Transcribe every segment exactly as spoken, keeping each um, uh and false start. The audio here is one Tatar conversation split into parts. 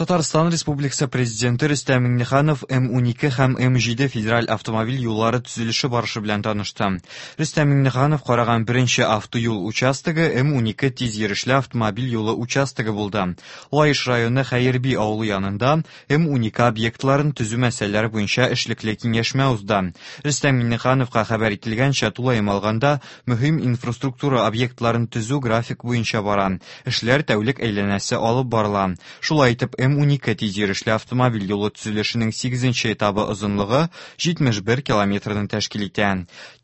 Татарстан Республикасы Президенты Рөстәм Миңнеханов М унике һәм М җиде федераль автомобиль юллары төзелеше барышы белән танышты. Рөстәм Миңнеханов караган беренче автоюл участогы М унике тиз йөрешле автомобиль юлы участогы булды. Лаеш районы Хәерби авылы янында М унике объектларын төзү мәсьәләләре буенча эшлекле киңәшмә узды. Рөстәм Миңнехановка хәбәр ителгәнчә, тулаем алганда мөһим инфраструктура объектларын төзү график буенча бара. Эшләр тәүлек әйләнәсе алып барыла. Шулай итеп, М унике тиз йөрешле автомобиль юлы төзелешенең сигезенче этабы озынлыгы җитмеш бер километрны тәшкил итә.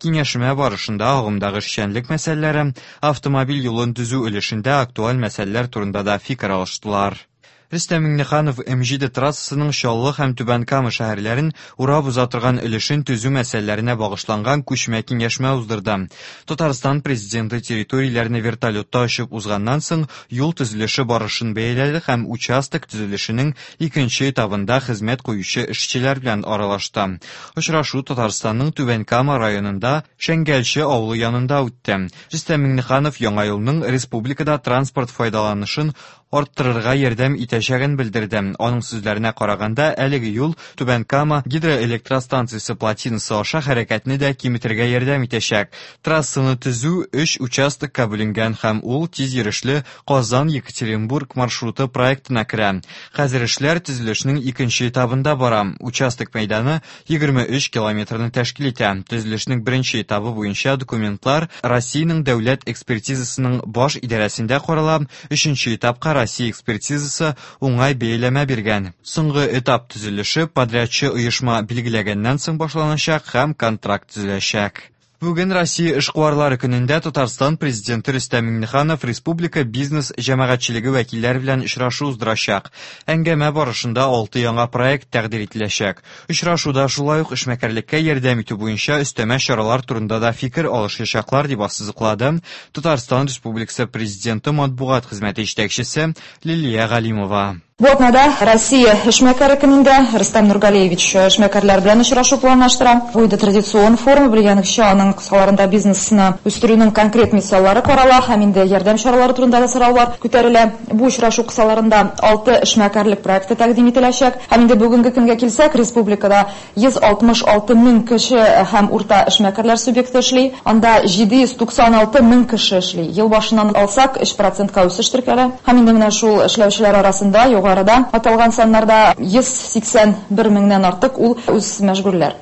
Киңәшмә барышында агымдагы эшчәнлек мәсьәләләре, автомобиль юлын төзү өлешендә актуаль мәсьәләләр турында да фикер алыштылар. Рөстәм Миңнеханов М җиде трассасының Чаллы һәм Түбән Кама шәһәрләрен урап уза торган өлешен төзү мәсьәләләренә багышланган күчмә киңәшмә уздырды. Татарстан президенты территорияләрне вертолетта очып узганнан соң юл төзелеше барышын бәяләде һәм участок төзелешенең икенче этабында хезмәт куючы эшчеләр белән аралашты. Очрашу Татарстанның Түбән Кама районында Шәңгәлче авылы янында үтте. Рөстәм Миңнеханов яңа юлның республикада транспорт файдаланышын арттырырга ярдәм итәчәген белдерде. Аның сүзләренә караганда, әлеге юл Түбән Кама гидроэлектростанциясе плотинасы аша хәрәкәтне дә киметергә ярдәм итәчәк. Трассаны төзү өч участокка бүленгән һәм ул тиз йөрешле Казан-Екатеринбург маршруты проектына керә. Хәзер эшләр төзелешнең икенче этабында бара. Участок мәйданы егерме өч километрны тәшкил итә. Төзелешнең беренче этабы буенча документлар Россиянең дәүләт экспертизасының баш идарәсендә карала. Өченче этапка Россия экспертизасы уңай бәяләмә биргән. Соңгы этап төзелеше подрядчы оешма билгеләгәннән соң башланачак һәм контракт төзеләчәк. Бүген Россия эшкуарлары көнендә Татарстан президенты Рөстәм Миңнеханов республика бизнес җәмәгатьчелеге вәкилләре белән очрашу уздырачак. Әңгәмә барышында алты яңа проект тәкъдир ителәчәк. Очрашуда шулай ук эшмәкәрлеккә ярдәм итү буенча өстәмә чаралар турында да фикер алышачаклар дип ассызыклады Татарстан Республикасы президенты матбугат хезмәте җитәкчесе Лилия Галимова. Бу атнада Россия эшмәкәре көнендә Рөстәм Нургалиевич эшмәкәрләр белән очрашу планлаштыра. Бу инде традицион форум, белгәнегезчә, аның кысаларында бизнесны үстерүнең конкрет мисаллары карала һәм инде ярдәм чаралары турында да сораулар күтәрелә. Бу очрашу кысаларында алты эшмәкәрлек проекты тәкъдим ителәчәк. Һәм инде бүгенге көнгә килсәк, республикада йөз алтмыш алты мең кеше һәм урта эшмәкәрләр субъекты эшли. Анда җиде йөз туксан алты мең кеше эшли. Ел башыннан алсак, өч процентка үсеш теркәлә. Һәм инде менә шул эшләүчеләр арасында югары Арада аталган саннарда йөз сиксән бер меңнән артык ул үз мәшгульләр.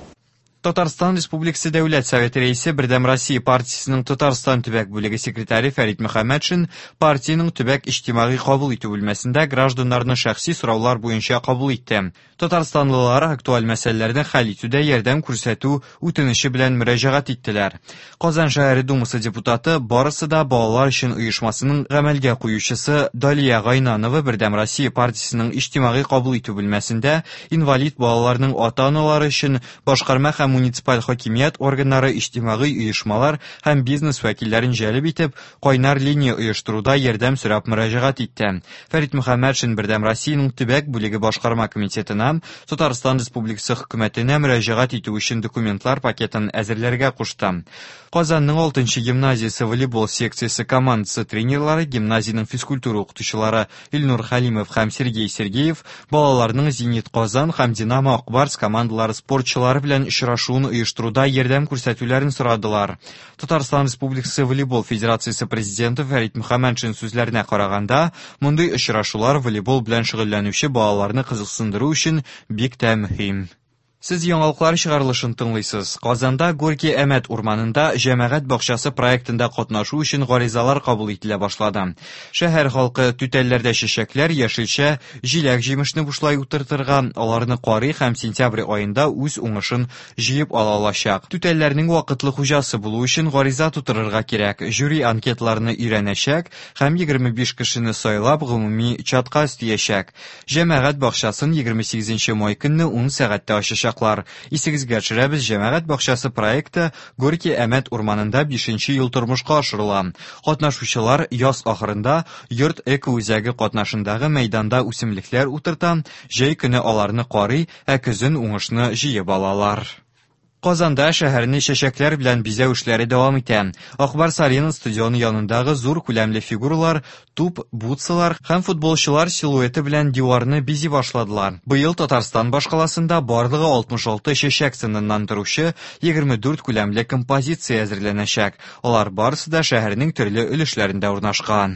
Татарстан Республикасы Дәүләт Советы рәисе Бердәм Россия партиясенең Татарстан төбәк бүлеге секретаре Фәрит Мөхәммәтшин партиянең төбәк иҗтимагый кабул итү бүлмәсендә гражданнарны шәхси сораулар буенча кабул итте. Татарстанлылар актуаль мәсьәләләрне хәл итүдә ярдәм күрсәтү үтенече белән мөрәҗәгать иттеләр. Казан шәһәре Думасы депутаты барысы да балалар өчен оешмасының гамәлгә куючысы Далия Гайнанова Бердәм Россия партиясенең иҗтимагый кабул итү бүлмәсендә инвалид балаларның ата-аналары өчен башкарма һәм муниципаль хакимият органнары, иҗтимагый оешмалар һәм бизнес вәкилләрен җәлеп итеп, кайнар линия оештыруда ярдәм сорап мөрәҗәгать итте. Фәрит Мөхәммәтшин Бердәм Россиянең төбәк бүлеге башкарма комитетына Татарстан Республикасы хөкүмәтенә мөрәҗәгать итү өчен документлар пакетын әзерләргә кушты. Казанның алтынчы гимназиясе волейбол секциясе командасы тренерлары, гимназиянең физкультура укытучылары Илнур Хәлимов һәм Сергей Сергеев балаларның Зенит Казан һәм Динамо Акбарс командалары спортчылары белән очрашуын оештыруда ярдәм күрсәтүләрен сорадылар. Татарстан Республикасы волейбол федерациясе президенты Фәрит Мөхәммәтшин сүзләренә караганда, мондый очрашулар волейбол белән шөгыльләнүче балаларны кызыксындыру өчен бик тә мөһим. Сез яңалыклар чыгарылышын тыңлыйсыз. Казанда Горький Әмәт урманында җәмәгать бакчасы проектында катнашу өчен гаризалар кабул ителә башлады. Шәһәр халкы түтәлләрдә чәчәкләр, яшелчә, җиләк-җимешне бушлай утыртырга, аларны карый һәм сентябрь аенда үз уңышын җыеп ала алачак. Түтәлләрнең вакытлы хуҗасы булу өчен гариза тутырырга кирәк. Жюри анкеталарны өйрәнәчәк һәм егерме биш кешене сайлап гомуми чатка өстиячәк. Җәмәгать бакчасын егерме сигезенче май көнне ун сәгатьтә ачачак. Исегезгә төшерәбез, җәмәгать бакчасы проекты Горький Әмәт урманында бишенче ел тормышка ашырыла. Катнашучылар яз ахырында йорт эко-үзәге катнашындагы мәйданда үсемлекләр утырта, җәй көне аларны карый, ә көзен уңышны җыеп алалар. Казанда шәһәрне чәчәкләр белән бизәү эшләре дәвам итә. Ак Барс Арена стадионы янындагы зур күләмле фигуралар, туп, бутсалар һәм футболчылар силуэты белән диварны бизи башладылар. Быел Татарстан башкаласында барлыгы алтмыш алты чәчәк сыныннан торучы егерме дүрт күләмле композиция әзерләнәчәк. Алар барысы да шәһәрнең төрле өлешләрендә урнашкан.